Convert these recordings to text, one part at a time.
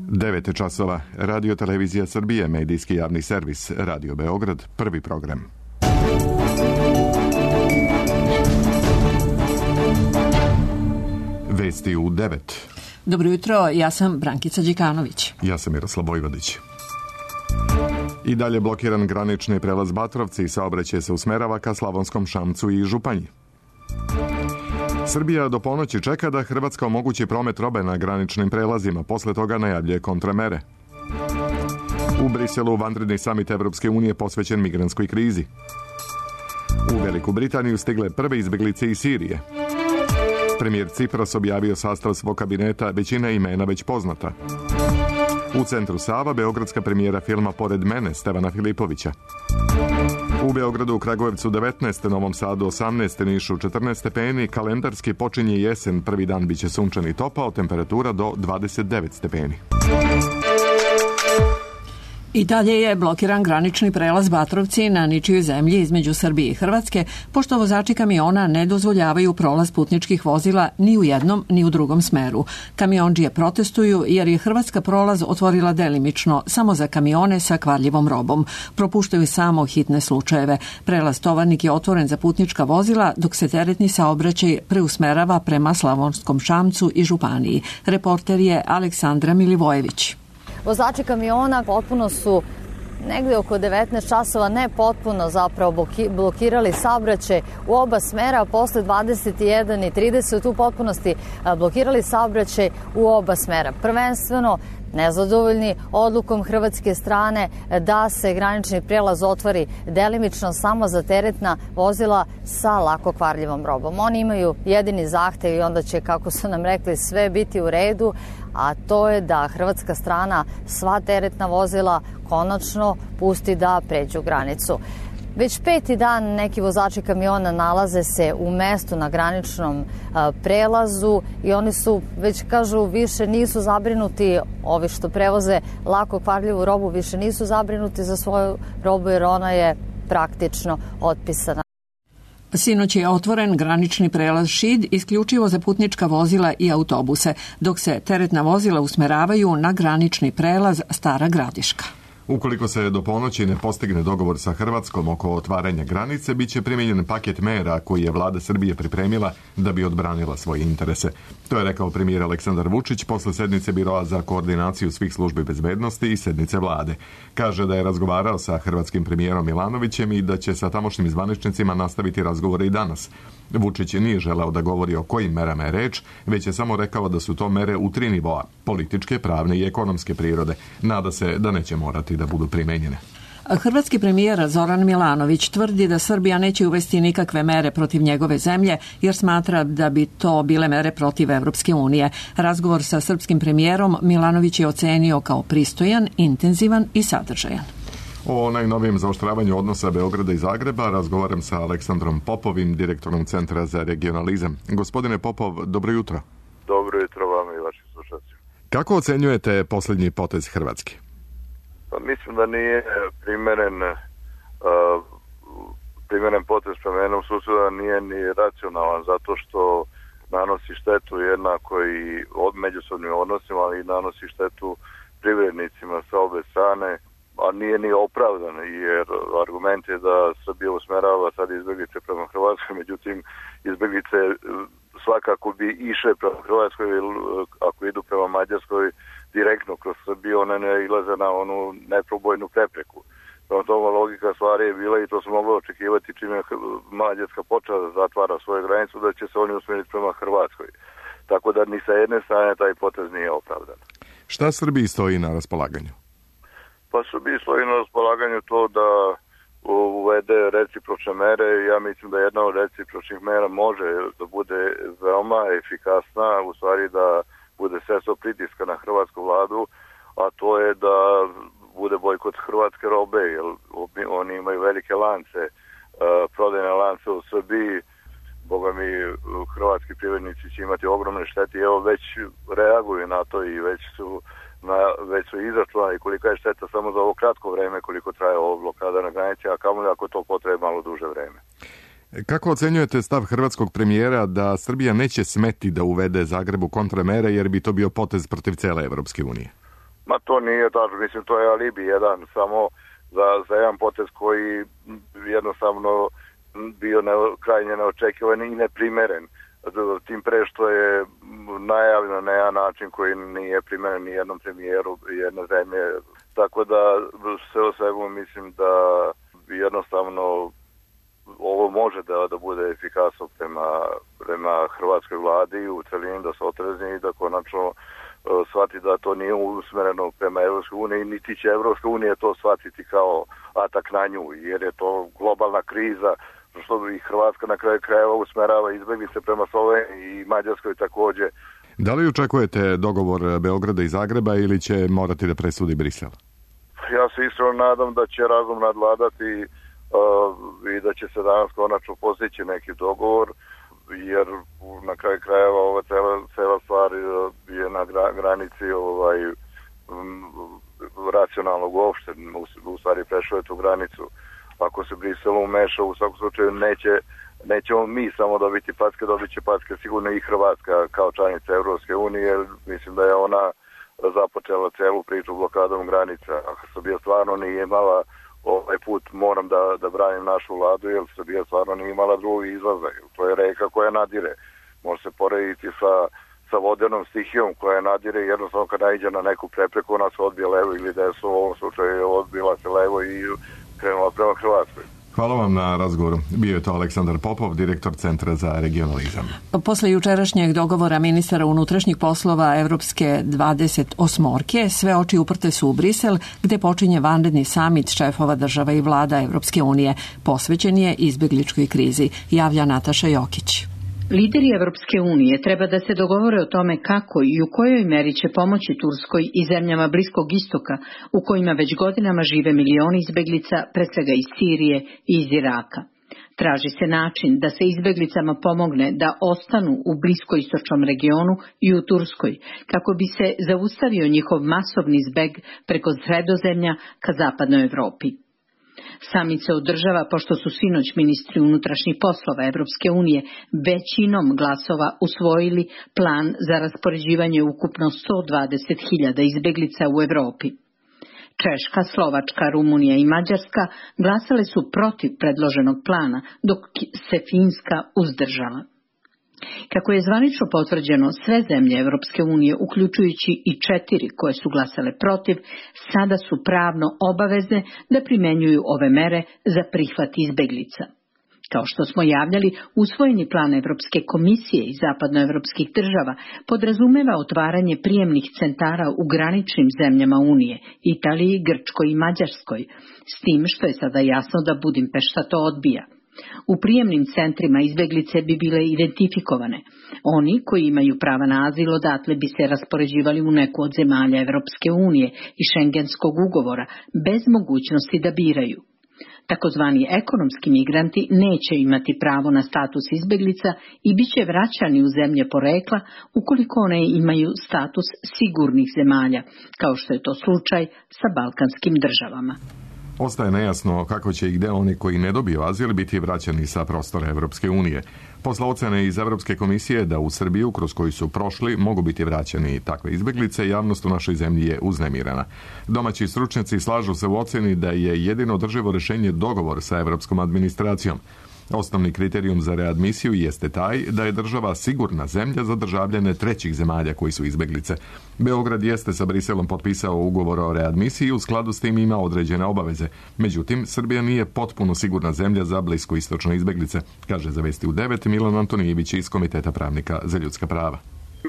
9 časova. Radio Televizija Srbije, medijski javni servis, Radio Beograd, prvi program. Vesti u 9. Dobro jutro, ja sam Brankica Đikanović. Ja sam Miroslav Vojvodić. I dalje blokiran granični prelaz Batrovci i saobraćaj se usmerava ka Slavonskom Šamcu i Županji. Srbija do ponoći čeka da Hrvatska omogući promet robe na graničnim prelazima, posle toga najavljuje kontramere. U Briselu vanredni samit Evropske unije posvećen migrantskoj krizi. U Veliku Britaniju stigle prve izbeglice iz Sirije. Premijer Cipras objavio sastav svog kabineta, većina imena već poznata. U centru Sava beogradska premijera filma Pored mene Stevana Filipovića. U Beogradu, u Kragujevcu 19, Novom Sadu 18, Nišu 14 stepeni, kalendarski počinje jesen, prvi dan biće sunčan i topao, temperatura do 29 stepeni. I dalje je blokiran granični prelaz Batrovci na ničijoj zemlji između Srbije i Hrvatske, pošto vozači kamiona ne dozvoljavaju prolaz putničkih vozila ni u jednom ni u drugom smeru. Kamiondžije protestuju jer je Hrvatska prolaz otvorila delimično samo za kamione sa kvarljivom robom. Propuštaju samo hitne slučajeve. Prelaz Tovarnik je otvoren za putnička vozila, dok se teretni saobraćaj preusmerava prema Slavonskom Šamcu i Županiji. Reporter je Aleksandra Milivojević. Vozači kamiona potpuno su negde oko 19 časova, ne potpuno zapravo blokirali saobraćaj u oba smera, a posle 21:30 u potpunosti blokirali saobraćaj u oba smera. Prvenstveno nezadovoljni odlukom hrvatske strane da se granični prelaz otvori delimično samo za teretna vozila sa lako kvarljivom robom. Oni imaju jedini zahtev i onda će, kako su nam rekli, sve biti u redu, a to je da hrvatska strana sva teretna vozila konačno pusti da pređu granicu. Već 5. dan neki vozači kamiona nalaze se u mestu na graničnom prelazu i oni su, već kažu, više nisu zabrinuti, ovi što prevoze lako kvarljivu robu, više nisu zabrinuti za svoju robu jer ona je praktično otpisana. Sinoć je otvoren granični prelaz Šid isključivo za putnička vozila i autobuse, dok se teretna vozila usmeravaju na granični prelaz Stara Gradiška. Ukoliko se do ponoći ne postigne dogovor sa Hrvatskom oko otvaranja granice, bit će primijenjen paket mera koji je vlada Srbije pripremila da bi odbranila svoje interese. To je rekao premijer Aleksandar Vučić posle sednice Biroa za koordinaciju svih službi bezbednosti i sednice vlade. Kaže da je razgovarao sa hrvatskim premijerom Milanovićem i da će sa tamošnjim zvaničnicima nastaviti razgovore i danas. Vučić nije želeo da govori o kojim merama je reč, već je samo rekao da su to mere u 3 nivoa, političke, pravne i ekonomske prirode. Nada se da neće morati da budu primenjene. Hrvatski premijer Zoran Milanović tvrdi da Srbija neće uvesti nikakve mere protiv njegove zemlje jer smatra da bi to bile mere protiv Evropske unije. Razgovor sa srpskim premijerom Milanović je ocenio kao pristojan, intenzivan i sadržajan. O najnovijem zaoštravanju odnosa Beograda i Zagreba razgovaram sa Aleksandrom Popovim, direktorom Centra za regionalizam. Gospodine Popov, dobro jutro. Dobro jutro vam i vašim slušateljima. Kako ocenjujete posljednji potez Hrvatske? Pa mislim da nije primjeren potez prema jednom susjedu, nije ni racionalan zato što nanosi štetu jednako i međusobnim odnosima, ali i nanosi štetu privrednicima sa obe strane, a nije ni opravdan, jer argument je da Srbija usmerava sad izbjeglice prema Hrvatskoj, međutim izbjeglice svakako bi išle prema Hrvatskoj, ako idu prema Mađarskoj direktno kroz Srbiju, one ne ilaze na onu neprobojnu prepreku. Prema tome logika stvari je bila, i to smo mogli očekivati čim je Mađarska počela da zatvara svoju granicu, da će se oni usmjeriti prema Hrvatskoj. Tako da ni sa jedne strane taj potez nije opravdan. Šta Srbiji stoji na raspolaganju? Pa Srbiji stoji na raspolaganju to da uvede recipročne mere. Ja mislim da jedna od recipročnih mera može da bude veoma efikasna, u stvari da bude sredstvo pritiska na hrvatsku vladu, a to je da bude bojkot hrvatske robe, jer oni imaju velike lance, prodajne lance u Srbiji. Boga mi, hrvatski privrednici će imati ogromne štete i evo već reaguju na to i već su izračunali kolika je šteta samo za ovo kratko vreme koliko traje ovo blokada na granici, a kamoli ako to potrebe malo duže vreme. Kako ocenjujete stav hrvatskog premijera da Srbija neće smeti da uvede Zagrebu kontramere jer bi to bio potez protiv cele Evropske unije? Ma to nije tačno, mislim to je alibi jedan samo za jedan potez koji jednostavno bio krajnje neočekivan i neprimeren. Tim pre što je najavljeno na jedan način koji nije primeren ni jednom premijeru jedne zemlje. Tako da sve o svemu mislim da jednostavno ovo može da bude efikasno prema hrvatskoj vladi u celini, da se otrezni i da konačno shvati da to nije usmereno prema Evropskoj uniji, niti će Evropska unija to shvatiti kao atak na nju, jer je to globalna kriza, što i Hrvatska na kraju krajeva usmerava izbeglice prema Sloveniji i Mađarskoj takođe. Da li očekujete dogovor Beograda i Zagreba ili će morati da presudi Brisel? Ja se iskreno nadam da će razum nadvladati i da će se danas konačno postići neki dogovor, jer na kraju krajeva ova cela stvar je na granici racionalnog uopšte, u stvari prešao je tu granicu. Ako se Brisel umeša, u svakom slučaju nećemo mi samo dobiti packe, dobit će packe sigurno i Hrvatska kao članica Evropske unije. Mislim da je ona započela celu priču blokadom granica. Ako Srbija stvarno nije imala ovaj put, moram da branim našu vladu, jer Srbija stvarno nije imala drugi izlaza. To je reka koja nadire. Može se porediti sa vodenom stihijom koja nadire, jednostavno kad naiđe na neku prepreku, ona se odbije levo ili desno, u ovom slučaju odbila se levo i krenula prema Hrvatskoj. Hvala vam na razgovoru. Bio je to Aleksandar Popov, direktor Centra za regionalizam. Posle jučerašnjeg dogovora ministara unutrašnjih poslova Evropske 28-orke, sve oči uprte su u Brisel, gde počinje vanredni samit šefova država i vlada Evropske unije. Posvećen je izbegličkoj krizi, javlja Nataša Jokić. Lideri Evropske unije treba da se dogovore o tome kako i u kojoj meri će pomoći Turskoj i zemljama Bliskog istoka, u kojima već godinama žive milioni izbeglica, pre svega iz Sirije i iz Iraka. Traži se način da se izbeglicama pomogne da ostanu u bliskoistočnom regionu i u Turskoj, kako bi se zaustavio njihov masovni zbeg preko Sredozemlja ka zapadnoj Evropi. Samit se održava pošto su sinoć ministri unutrašnjih poslova Evropske unije većinom glasova usvojili plan za raspoređivanje ukupno 120.000 izbeglica u Evropi. Češka, Slovačka, Rumunija i Mađarska glasale su protiv predloženog plana, dok se Finska uzdržala. Kako je zvanično potvrđeno, sve zemlje Evropske unije, uključujući i 4 koje su glasale protiv, sada su pravno obavezne da primenjuju ove mere za prihvat izbeglica. Kao što smo javljali, usvojeni plan Evropske komisije i zapadnoevropskih država podrazumeva otvaranje prijemnih centara u graničnim zemljama Unije, Italiji, Grčkoj i Mađarskoj, s tim što je sada jasno da Budimpešta to odbija. U prijemnim centrima izbeglice bi bile identifikovane. Oni koji imaju prava na azil odatle bi se raspoređivali u neku od zemalja Evropske unije i Šengenskog ugovora, bez mogućnosti da biraju. Takozvani ekonomski migranti neće imati pravo na status izbeglica i bit će vraćani u zemlje porekla ukoliko one imaju status sigurnih zemalja, kao što je to slučaj sa balkanskim državama. Ostaje nejasno kako će i gde oni koji ne dobiju azil biti vraćani sa prostora Evropske unije. Posle ocene iz Evropske komisije da u Srbiju, kroz koju su prošli, mogu biti vraćani takve izbeglice, javnost u našoj zemlji je uznemirana. Domaći stručnjaci slažu se u oceni da je jedino održivo rešenje dogovor sa evropskom administracijom. Osnovni kriterijum za readmisiju jeste taj da je država sigurna zemlja za državljane trećih zemalja koji su izbeglice. Beograd jeste sa Briselom potpisao ugovor o readmisiji i u skladu s tim ima određene obaveze. Međutim, Srbija nije potpuno sigurna zemlja za bliskoistočne izbeglice, kaže za Vesti u 9 Milan Antonijević iz Komiteta pravnika za ljudska prava.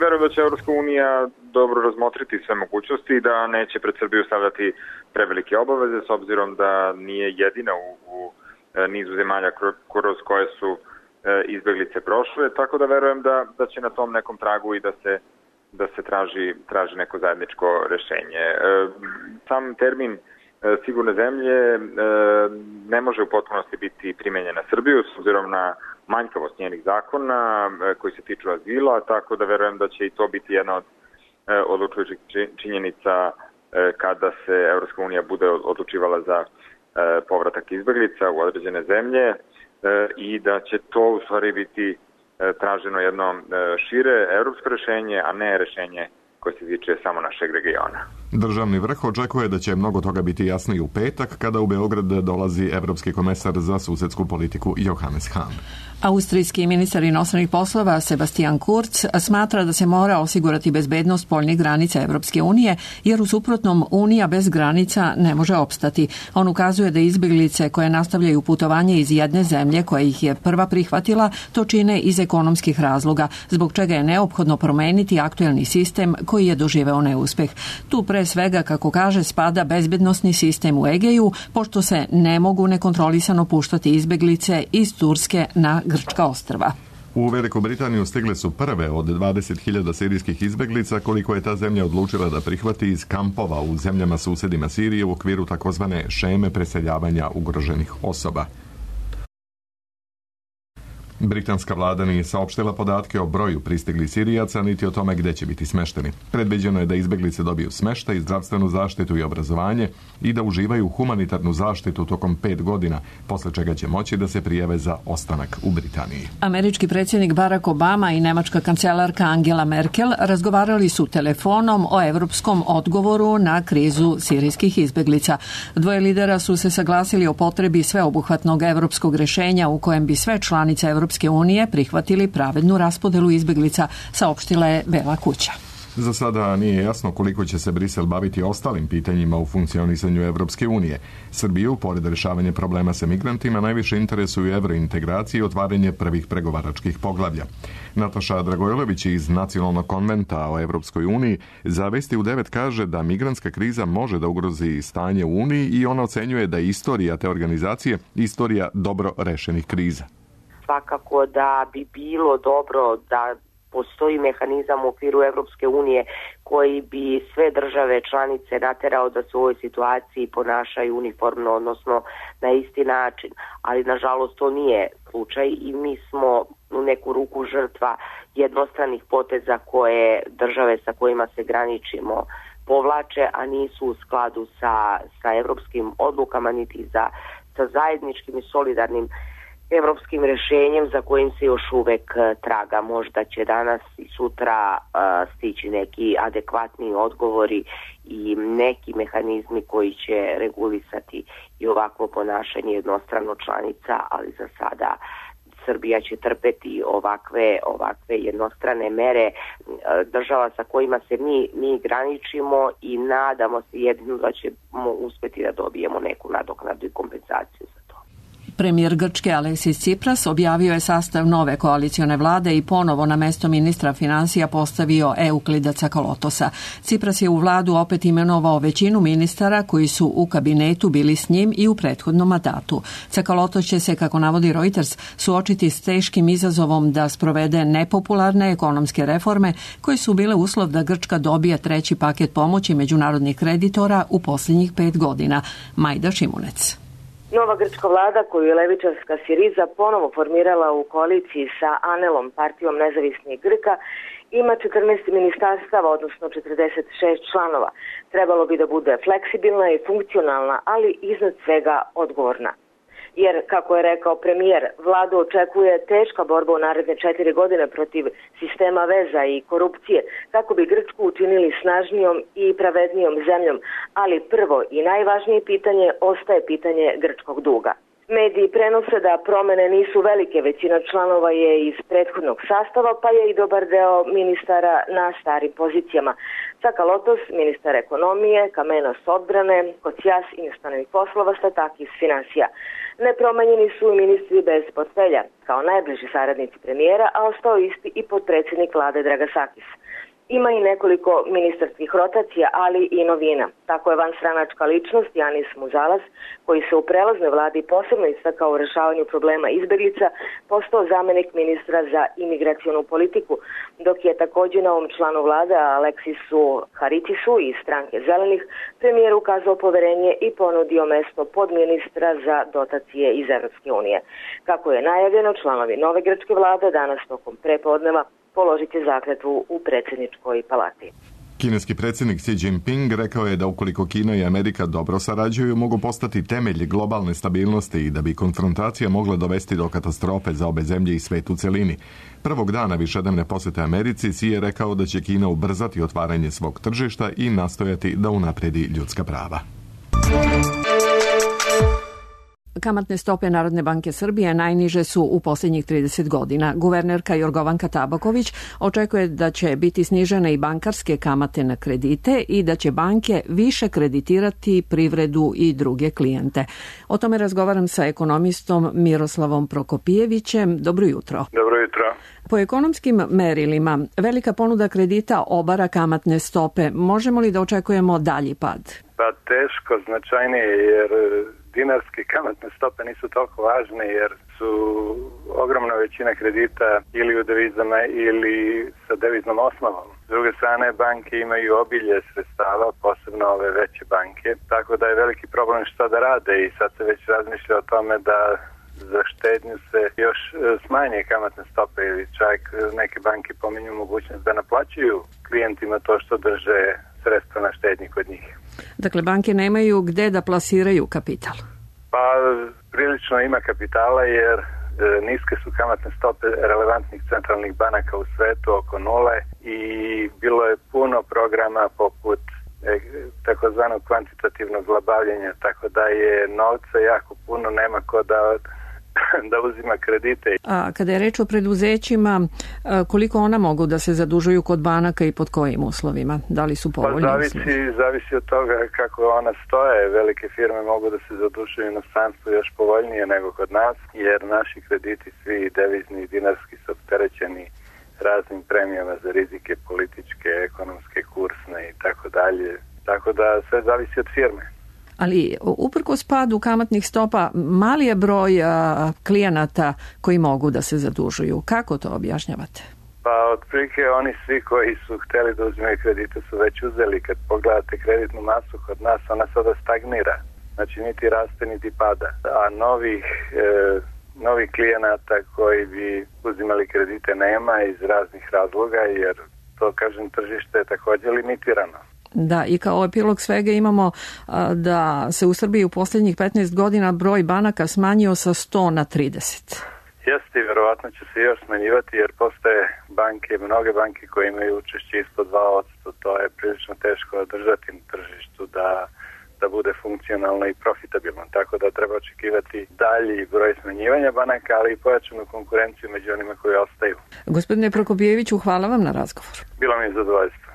Verujem da će Evropska unija dobro razmotriti sve mogućnosti i da neće pred Srbiju stavljati prevelike obaveze, s obzirom da nije jedina u nizu zemalja kroz koje su izbeglice prošle, tako da verujem da će na tom nekom tragu i da se traži neko zajedničko rešenje. Sam termin sigurne zemlje ne može u potpunosti biti primenjen na Srbiju s obzirom na manjkavost njenih zakona koji se tiču azila, tako da verujem da će i to biti jedna od odlučujućih činjenica kada se Evropska unija bude odlučivala za povratak izbeglica u određene zemlje i da će to u stvari biti traženo jedno šire evropsko rešenje, a ne rešenje koje se tiče samo našeg regiona. Državni vrh očekuje da će mnogo toga biti jasnije u petak kada u Beograd dolazi evropski komesar za susedsku politiku Johannes Hahn. Austrijski ministar inostranih poslova Sebastian Kurz smatra da se mora osigurati bezbednost spoljnih granica Evropske unije, jer u suprotnom Unija bez granica ne može opstati. On ukazuje da izbeglice koje nastavljaju putovanje iz jedne zemlje koja ih je prva prihvatila, to čine iz ekonomskih razloga, zbog čega je neophodno promeniti aktuelni sistem koji je doživeo neuspeh. Tu pre svega, kako kaže, spada bezbednosni sistem u Egeju, pošto se ne mogu nekontrolisano puštati izbeglice iz Turske na grčka ostrva. U Veliku Britaniju stigle su prve od 20.000 sirijskih izbeglica koliko je ta zemlja odlučila da prihvati iz kampova u zemljama susedima Sirije u okviru takozvane šeme preseljavanja ugroženih osoba. Britanska vlada nije saopštila podatke o broju pristiglih Sirijaca niti o tome gde će biti smešteni. Predviđeno je da izbeglice dobiju smeštaj, zdravstvenu zaštitu i obrazovanje i da uživaju humanitarnu zaštitu tokom 5 godina, posle čega će moći da se prijave za ostanak u Britaniji. Američki predsjednik Barack Obama i nemačka kancelarka Angela Merkel razgovarali su telefonom o evropskom odgovoru na krizu sirijskih izbeglica. Dvoje lidera su se saglasili o potrebi sveobuhvatnog evropskog rešenja u kojem bi sve članice Evropske unije prihvatili pravednu raspodelu izbeglica, saopštila je Bela kuća. Za sada nije jasno koliko će se Brisel baviti ostalim pitanjima u funkcionisanju Evropske unije. Srbiju, pored rešavanja problema sa migrantima, najviše interesuju evrointegracije i otvaranje prvih pregovaračkih poglavlja. Nataša Dragojlović iz Nacionalnog konventa o Evropskoj uniji za Vesti u 9 kaže da migrantska kriza može da ugrozi stanje u Uniji i ona ocenjuje da je istorija te organizacije istorija dobro rešenih kriza. Svakako da bi bilo dobro da postoji mehanizam u okviru Evropske unije koji bi sve države članice naterao da se u ovoj situaciji ponašaju uniformno, odnosno na isti način. Ali nažalost to nije slučaj i mi smo u neku ruku žrtva jednostranih poteza koje države sa kojima se graničimo povlače, a nisu u skladu sa evropskim odlukama niti sa zajedničkim i solidarnim evropskim rešenjem za kojim se još uvek traga. Možda će danas i sutra stići neki adekvatni odgovori i neki mehanizmi koji će regulisati i ovakvo ponašanje jednostrano članica, ali za sada Srbija će trpeti ovakve jednostrane mere država sa kojima se mi graničimo i nadamo se jedino da ćemo uspeti da dobijemo neku nadoknadu i kompenzaciju za to. Premijer Grčke Aleksis Tsipras objavio je sastav nove koalicione vlade i ponovo na mesto ministra finansija postavio Euklida Cakalotosa. Tsipras je u vladu opet imenovao većinu ministara koji su u kabinetu bili s njim i u prethodnom mandatu. Cakalotos će se, kako navodi Reuters, suočiti s teškim izazovom da sprovede nepopularne ekonomske reforme koje su bile uslov da Grčka dobije treći paket pomoći međunarodnih kreditora u posljednjih 5 godina. Majda Šimunec. Nova grčka vlada koju je levičarska Siriza ponovo formirala u koaliciji sa Anelom, partijom nezavisnih Grka, ima 14 ministarstava, odnosno 46 članova. Trebalo bi da bude fleksibilna i funkcionalna, ali iznad svega odgovorna. Jer, kako je rekao premijer, vladu očekuje teška borba u naredne 4 godine protiv sistema veza i korupcije, kako bi Grčku učinili snažnijom i pravednijom zemljom, ali prvo i najvažnije pitanje ostaje pitanje grčkog duga. Mediji prenose da promene nisu velike, većina članova je iz prethodnog sastava, pa je i dobar deo ministara na starim pozicijama. Cakalotos, ministar ekonomije, Kamenos odbrane, Kocias inostranih poslova, Statakis finansija. Nepromenjeni su i ministri bez portfelja, kao najbliži saradnici premijera, a ostao isti i potpredsjednik vlade Dragasakis. Ima i nekoliko ministarskih rotacija, ali i novina. Tako je vanstranačka ličnost Janis Muzalas, koji se u prelaznoj vladi posebno istakao u rešavanju problema izbeglica, postao zamenik ministra za imigracionu politiku, dok je također novom članu vlade Aleksisu Haritisu iz stranke Zelenih premijer ukazao poverenje i ponudio mesto podministra za dotacije iz Evropske unije. Kako je najavljeno, članovi nove grčke vlade danas tokom prepodneva položiti zakletvu u predsjedničkoj palati. Kineski predsjednik Xi Jinping rekao je da ukoliko Kina i Amerika dobro sarađuju, mogu postati temelj globalne stabilnosti i da bi konfrontacija mogla dovesti do katastrofe za obe zemlje i svet u celini. Prvog dana višednevne posjete Americi Xi je rekao da će Kina ubrzati otvaranje svog tržišta i nastojati da unapredi ljudska prava. Kamatne stope Narodne banke Srbije najniže su u posljednjih 30 godina. Guvernerka Jorgovanka Tabaković očekuje da će biti snižene i bankarske kamate na kredite i da će banke više kreditirati privredu i druge klijente. O tome razgovaram sa ekonomistom Miroslavom Prokopijevićem. Dobro jutro. Dobro jutro. Po ekonomskim merilima, velika ponuda kredita obara kamatne stope. Možemo li da očekujemo dalji pad? Pa teško, značajnije, jer dinarske kamatne stope nisu toliko važne, jer su ogromna većina kredita ili u devizama ili sa deviznom osnovom. S druge strane, banke imaju obilje sredstava, posebno ove veće banke, tako da je veliki problem šta da rade i sad se već razmišlja o tome da za štednju se još smanje kamatne stope ili čak neke banke pominju mogućnost da naplaćuju klijentima to što drže sredstva na štednji kod njih. Dakle, banke nemaju gde da plasiraju kapital? Pa, prilično ima kapitala jer niske su kamatne stope relevantnih centralnih banaka u svetu oko nule i bilo je puno programa poput takozvanog kvantitativnog zlabavljenja, tako da je novca jako puno, nema ko da uzima kredite. A kada je reč o preduzećima, koliko ona mogu da se zadužuju kod banaka i pod kojim uslovima? Da li su povoljni uslovi? Zavisi od toga kako ona stoje. Velike firme mogu da se zadužuju u inostranstvu još povoljnije nego kod nas, jer naši krediti svi devizni i dinarski su opterećeni raznim premijama za rizike političke, ekonomske, kursne i tako dalje. Tako da sve zavisi od firme. Ali uprkos padu kamatnih stopa, mali je broj klijenata koji mogu da se zadužuju. Kako to objašnjavate? Pa otprilike oni svi koji su hteli da uzimaju kredite su već uzeli. Kad pogledate kreditnu masu kod nas, ona sada stagnira. Znači niti raste niti pada. A novih klijenata koji bi uzimali kredite nema iz raznih razloga, jer to, kažem, tržište je također limitirano. Da, i kao epilog svega imamo da se u Srbiji u posljednjih 15 godina broj banaka smanjio sa 100 na 30. Jeste, vjerovatno će se još smanjivati jer postoje mnoge banke koje imaju učešće ispod 2%. To je prilično teško održati na tržištu da bude funkcionalno i profitabilno. Tako da treba očekivati dalji broj smanjivanja banaka, ali i pojačanu konkurenciju među onima koji ostaju. Gospodine Prokopijeviću, hvala vam na razgovor. Bilo mi je zadovoljstvo.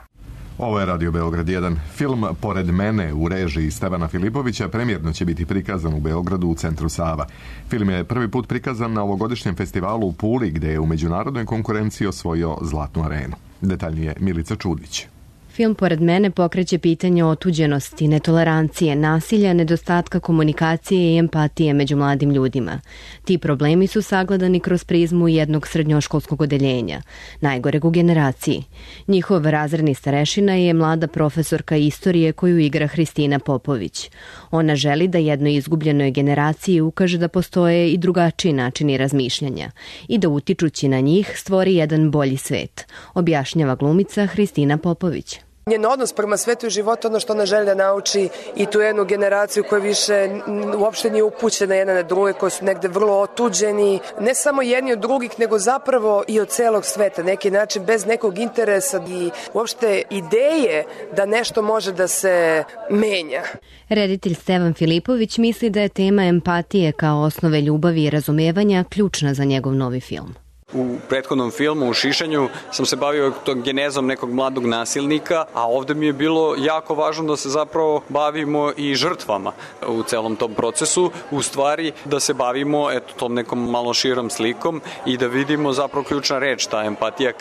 Ovo je Radio Beograd 1. Film Pored mene u režiji Stevana Filipovića premijerno će biti prikazan u Beogradu u centru Sava. Film je prvi put prikazan na ovogodišnjem festivalu u Puli, gde je u međunarodnoj konkurenciji osvojio Zlatnu arenu. Detaljnije Milica Čudić. Film Pored mene pokreće pitanje otuđenosti, netolerancije, nasilja, nedostatka komunikacije i empatije među mladim ljudima. Ti problemi su sagledani kroz prizmu jednog srednjoškolskog odeljenja, najgoreg u generaciji. Njihov razredni starešina je mlada profesorka istorije koju igra Hristina Popović. Ona želi da jednoj izgubljenoj generaciji ukaže da postoje i drugačiji načini razmišljanja i da utičući na njih stvori jedan bolji svet, objašnjava glumica Hristina Popović. Njen odnos prema svetu i životu, ono što ona želi da nauči i tu jednu generaciju koja više uopšte nije upućena jedna na druge, koji su negde vrlo otuđeni, ne samo jedni od drugih, nego zapravo i od celog sveta, neki način bez nekog interesa i uopšte ideje da nešto može da se menja. Reditelj Stevan Filipović misli da je tema empatije kao osnove ljubavi i razumevanja ključna za njegov novi film. U prethodnom filmu, u Šišanju, sam se bavio genezom nekog mladog nasilnika, a ovde mi je bilo jako važno da se zapravo bavimo i žrtvama u celom tom procesu, u stvari da se bavimo tom nekom malo širom slikom i da vidimo zapravo ključna reč, ta empatija,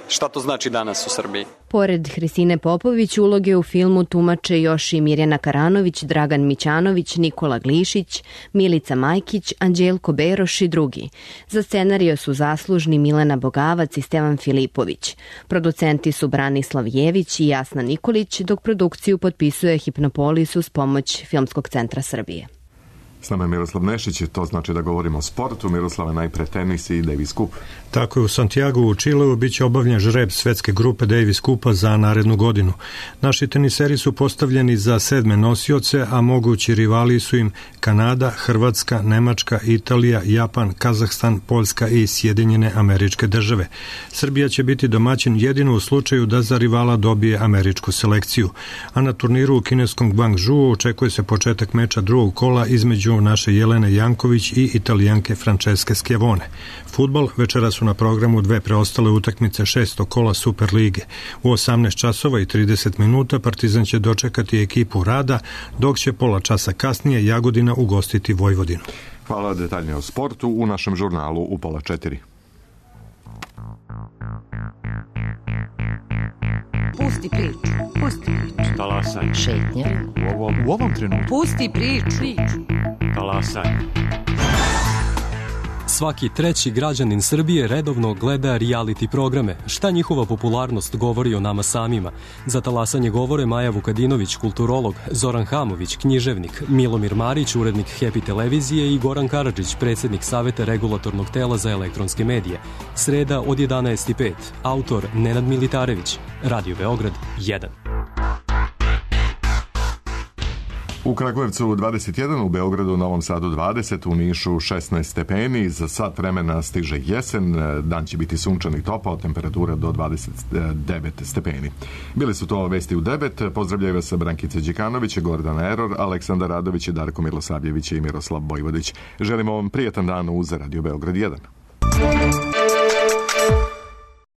šta to znači danas u Srbiji. Pored Hristine Popović, uloge u filmu tumače još i Mirjana Karanović, Dragan Mićanović, Nikola Glišić, Milica Majkić, Anđelko Beroš i drugi. Za scenario su zaslužni Milena Bogavac i Stevan Filipović. Producenti su Branislav Jević i Jasna Nikolić, dok produkciju potpisuje Hipnopolis uz pomoć Filmskog centra Srbije. S nama je Miroslav Nešić, to znači da govorimo o sportu. Miroslava, najpre tenis i Davis Cup. Tako je, u Santiago u Čileu biće obavljen žreb svetske grupe Davis Cupa za narednu godinu. Naši teniseri su postavljeni za 7. nosioce, a mogući rivali su im Kanada, Hrvatska, Nemačka, Italija, Japan, Kazahstan, Poljska i Sjedinjene Američke Države. Srbija će biti domaćin jedino u slučaju da za rivala dobije američku selekciju. A na turniru u kineskom Guangzhou očekuje se početak meča drugog kola između naše Jelene Janković i Italijanke Francesche Schiavone. Fudbal, večera su na programu dve preostale utakmice 6. kola Super lige. U 18 časova i 30 minuta Partizan će dočekati ekipu Rada, dok će pola časa kasnije Jagodina ugostiti Vojvodinu. Hvala, detaljnije o sportu u našem žurnalu u 3:30. Pusti priču. Pusti priču. Talasaj. Šetnja. U ovom trenutku. Pusti priču. Talasaj. Svaki treći građanin Srbije redovno gleda reality programe. Šta njihova popularnost govori o nama samima? Za talasanje govore Maja Vukadinović, kulturolog, Zoran Hamović, književnik, Milomir Marić, urednik Happy televizije i Goran Karadžić, predsjednik Saveta regulatornog tela za elektronske medije. Sreda od 11:05. Autor Nenad Militarević. Radio Beograd 1. U Kragujevcu 21, u Beogradu, Novom Sadu 20, u Nišu 16 stepeni, za sat vremena stiže jesen, dan će biti sunčan i topao, temperatura do 29 stepeni. Bili su to vesti u 9, pozdravljaju vas Brankica Đikanović, Gordana Eror, Aleksandar Radović, Darko Milosavljević i Miroslav Bojvodić. Želimo vam prijatan dan uz Radio Beograd 1.